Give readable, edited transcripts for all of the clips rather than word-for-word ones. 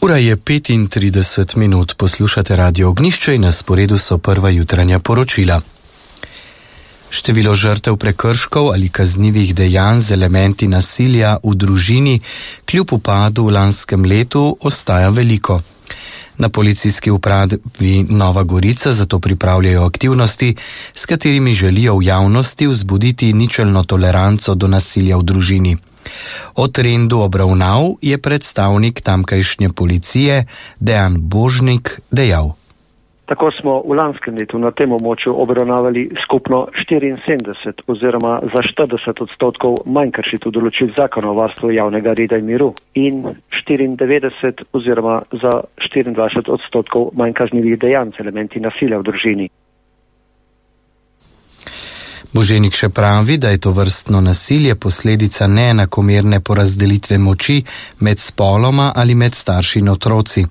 Ura je 35 minut, poslušate Radio Ognjišče in na sporedu so prva jutranja poročila. Število žrtev prekrškov ali kaznivih dejanj z elementi nasilja v družini kljub upadu v lanskem letu ostaja veliko. Na policijski upravi Nova Gorica zato pripravljajo aktivnosti, s katerimi želijo v javnosti vzbuditi ničelno toleranco do nasilja v družini. O trendu obravnav je predstavnik tamkajšnje policije Dejan Božnik dejal. Tako smo v lanskem letu na tem območju obravnavali skupno 74 oziroma za 40% manj kršitev določil zakona o varstvu javnega reda in miru in 94 oziroma za 24% manj kaznivih dejanj z elementi nasilja v družini. Boženik še pravi, da je to vrstno nasilje posledica neenakomerne porazdelitve moči med spoloma ali med starši in otroci.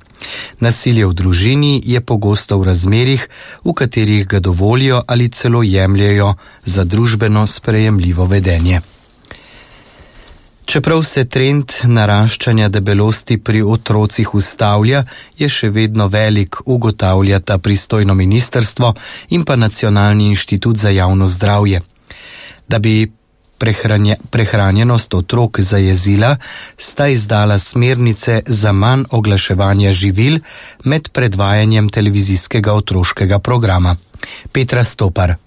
Nasilje v družini je pogosto v razmerih, v katerih ga dovolijo ali celo jemljajo za družbeno sprejemljivo vedenje. Čeprav se trend naraščanja debelosti pri otrocih ustavlja, je še vedno velik, ugotavljata pristojno ministrstvo in pa Nacionalni inštitut za javno zdravje. Da bi prehranjenost otrok zajezila, sta izdala smernice za manj oglaševanja živil med predvajanjem televizijskega otroškega programa. Petra Stopar.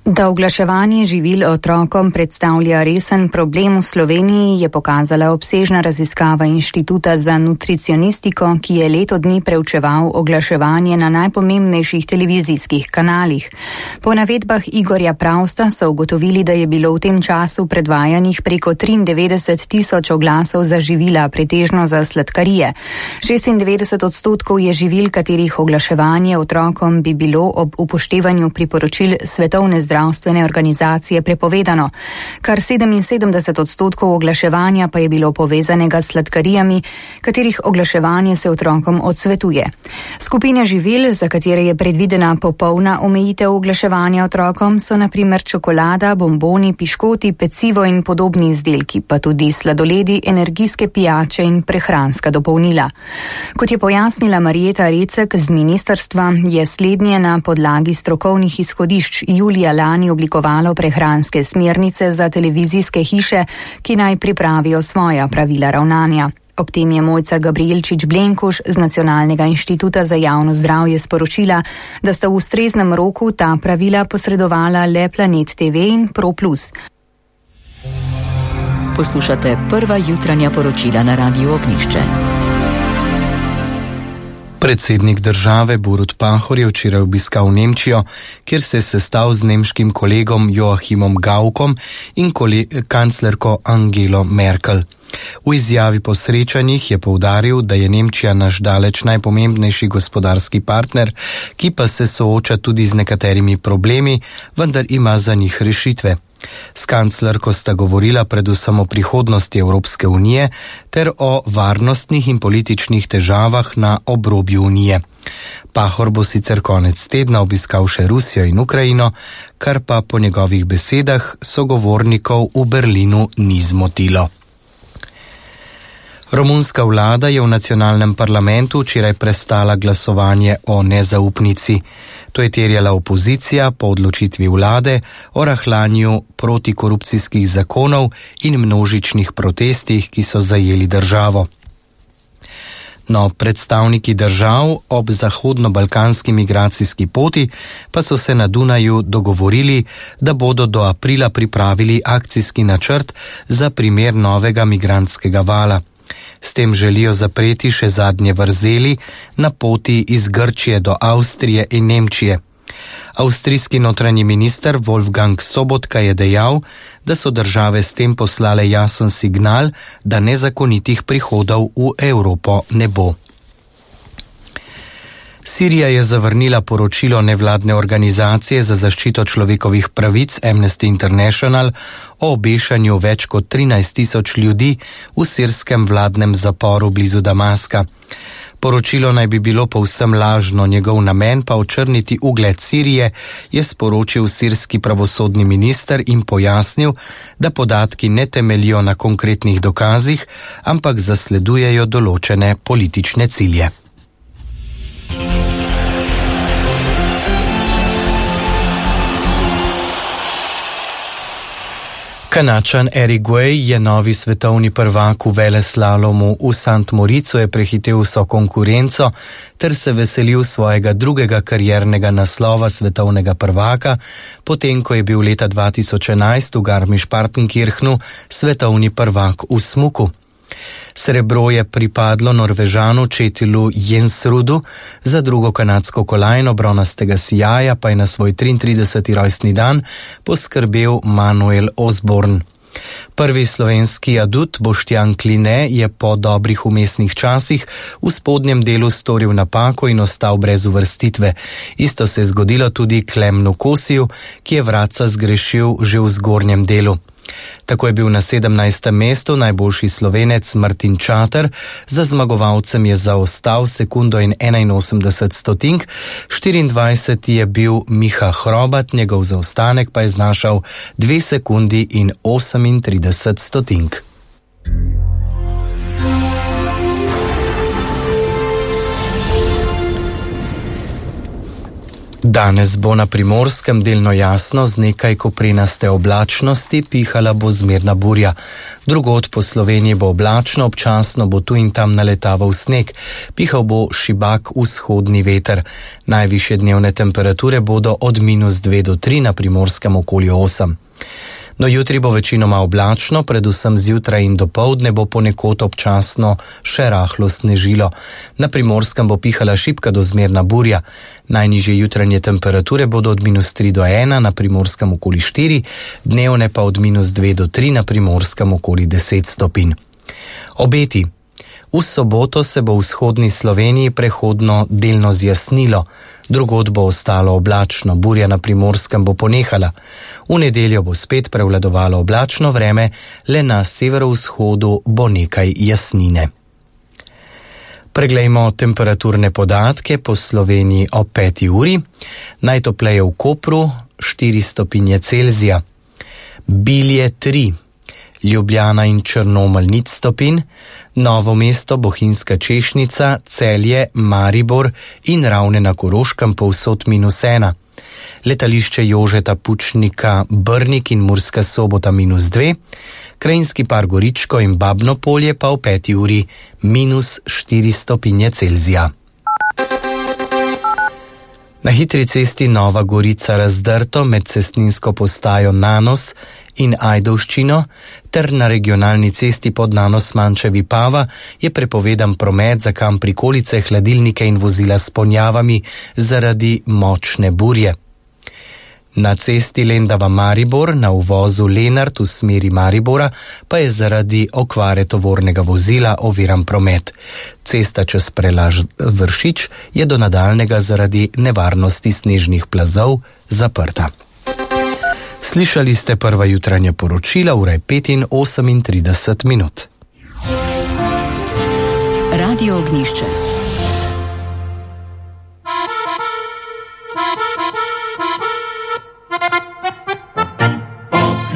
Da oglaševanje živil otrokom predstavlja resen problem v Sloveniji, je pokazala obsežna raziskava Inštituta za nutricionistiko, ki je leto dni preučeval oglaševanje na najpomembnejših televizijskih kanalih. Po navedbah Igorja Pravsta so ugotovili, da je bilo v tem času predvajanih preko 93.000 oglasov za živila, pretežno za sladkarije. 96% je živil, katerih oglaševanje otrokom bi bilo ob upoštevanju priporočil Svetovne zdravstvene organizacije prepovedano. Kar 77% oglaševanja pa je bilo povezanega s sladkarijami, katerih oglaševanje se otrokom odsvetuje. Skupine živil, za katere je predvidena popolna omejitev oglaševanja otrokom, so na primer čokolada, bomboni, piškoti, pecivo in podobni izdelki, pa tudi sladoledi, energijske pijače in prehranska dopolnila. Kot je pojasnila Marjeta Recek z ministrstva, je slednje na podlagi strokovnih izhodišč julija lani oblikovalo prehranske smernice za televizijske hiše, ki naj pripravijo svoja pravila ravnanja. Ob tem je Mojca Gabrielčič-Blenkuš z Nacionalnega inštituta za javno zdravje sporočila, da sta v ustreznem roku ta pravila posredovala le Planet TV in Pro Plus. Poslušate prva jutranja poročila na Radiu Ognjišče. Predsednik države Borut Pahor je včeraj obiskal Nemčijo, kjer se je sestal z nemškim kolegom Joachimom Gaukom in kanclerko Angelo Merkel. V izjavi po srečanjih je poudaril, da je Nemčija naš daleč najpomembnejši gospodarski partner, ki pa se sooča tudi z nekaterimi problemi, vendar ima za njih rešitve. S kanclerko sta govorila predvsem o prihodnosti Evropske unije ter o varnostnih in političnih težavah na obrobju unije. Pahor bo sicer konec tedna obiskal še Rusijo in Ukrajino, kar pa po njegovih besedah sogovornikov v Berlinu ni zmotilo. Romunska vlada je v nacionalnem parlamentu včeraj prestala glasovanje o nezaupnici. To je terjala opozicija po odločitvi vlade o rahljanju protikorupcijskih zakonov in množičnih protestih, ki so zajeli državo. No, predstavniki držav ob zahodno-balkanski migracijski poti pa so se na Dunaju dogovorili, da bodo do aprila pripravili akcijski načrt za primer novega migrantskega vala. S tem želijo zapreti še zadnje vrzeli na poti iz Grčije do Avstrije in Nemčije. Avstrijski notranji minister Wolfgang Sobotka je dejal, da so države s tem poslale jasen signal, da nezakonitih prihodov v Evropo ne bo. Sirija je zavrnila poročilo nevladne organizacije za zaščito človekovih pravic Amnesty International o obešanju več kot 13.000 ljudi v sirskem vladnem zaporu blizu Damaska. Poročilo naj bi bilo povsem lažno, njegov namen pa očrniti ugled Sirije, je sporočil sirski pravosodni minister in pojasnil, da podatki ne temeljijo na konkretnih dokazih, ampak zasledujejo določene politične cilje. Kanačan Eric Guay je novi svetovni prvak v veleslalomu v Sant Moricu, je prehitel vso konkurenco ter se veselil svojega drugega kariernega naslova svetovnega prvaka, potem ko je bil leta 2011 v Garmisch-Partenkirchenu svetovni prvak v smuku. Srebro je pripadlo Norvežanu Četilu Jensrudu, za drugo kanadsko kolajno bronastega sijaja pa je na svoj 33. rojstni dan poskrbel Manuel Osborn. Prvi slovenski adut Boštjan Kline je po dobrih vmesnih časih v spodnjem delu storil napako in ostal brez uvrstitve. Isto se je zgodilo tudi Klemnu Kosiju, ki je vratca zgrešil že v zgornjem delu. Tako je bil na 17. mestu najboljši Slovenec Martin Čater, za zmagovalcem je zaostal sekundo in 81 stotink, 24. je bil Miha Hrobat, njegov zaostanek pa je znašal 2 sekundi in 38 stotink. Danes bo na Primorskem delno jasno z nekaj koprenaste oblačnosti, pihala bo zmerna burja. Drugod po Sloveniji bo oblačno, občasno bo tu in tam naletaval sneg, pihal bo šibak vzhodni veter. Najvišje dnevne temperature bodo od -2 do 3, na Primorskem okoli 8. No, jutri bo večinoma oblačno, predvsem zjutraj in dopoldne bo ponekod občasno še rahlo snežilo. Na Primorskem bo pihala šibka do zmerna burja. Najnižje jutranje temperature bodo od -3 do 1, na Primorskem okoli 4, dnevne pa od -2 do 3, na Primorskem okoli 10 stopinj. Obeti. V soboto se bo v vzhodni Sloveniji prehodno delno zjasnilo, drugod bo ostalo oblačno, burja na Primorskem bo ponehala. V nedeljo bo spet prevladovalo oblačno vreme, le na severovzhodu bo nekaj jasnine. Preglejmo temperaturne podatke po Sloveniji ob 5. uri. Najtopleje v Kopru 4 stopinje Celzija, Bilje 3, Ljubljana in Črnomelj 0 stopinj, Novo mesto, Bohinjska Češnica, Celje, Maribor in Ravne na Koroškem povsod -1. Letališče Jožeta Pučnika Brnik in Murska Sobota -2, Krajinski par Goričko in Babno Polje pa v 5. uri -4 stopinje Celzija. Na hitri cesti Nova Gorica Razdrto med cestninsko postajo Nanos in Ajdovščino ter na regionalni cesti pod Nanos Mančevi Pava je prepovedan promet za kam prikolice, hladilnike in vozila s ponjavami zaradi močne burje. Na cesti Lendava-Maribor na uvozu Lenart v smeri Maribora pa je zaradi okvare tovornega vozila oviran promet. Cesta čez prelaž Vršič je do nadaljnega zaradi nevarnosti snežnih plazov zaprta. Slišali ste prva jutranja poročila, ura je 5:38. Radio Ognjišče.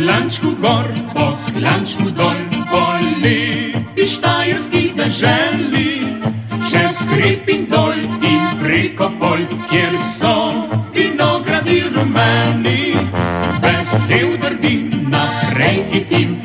Klančku gor, po klančku dol, po lepi štajerski deželi, čez hrib in dol in preko polj, kjer so vinogradi rumeni, vesel drvim, naprej hitim,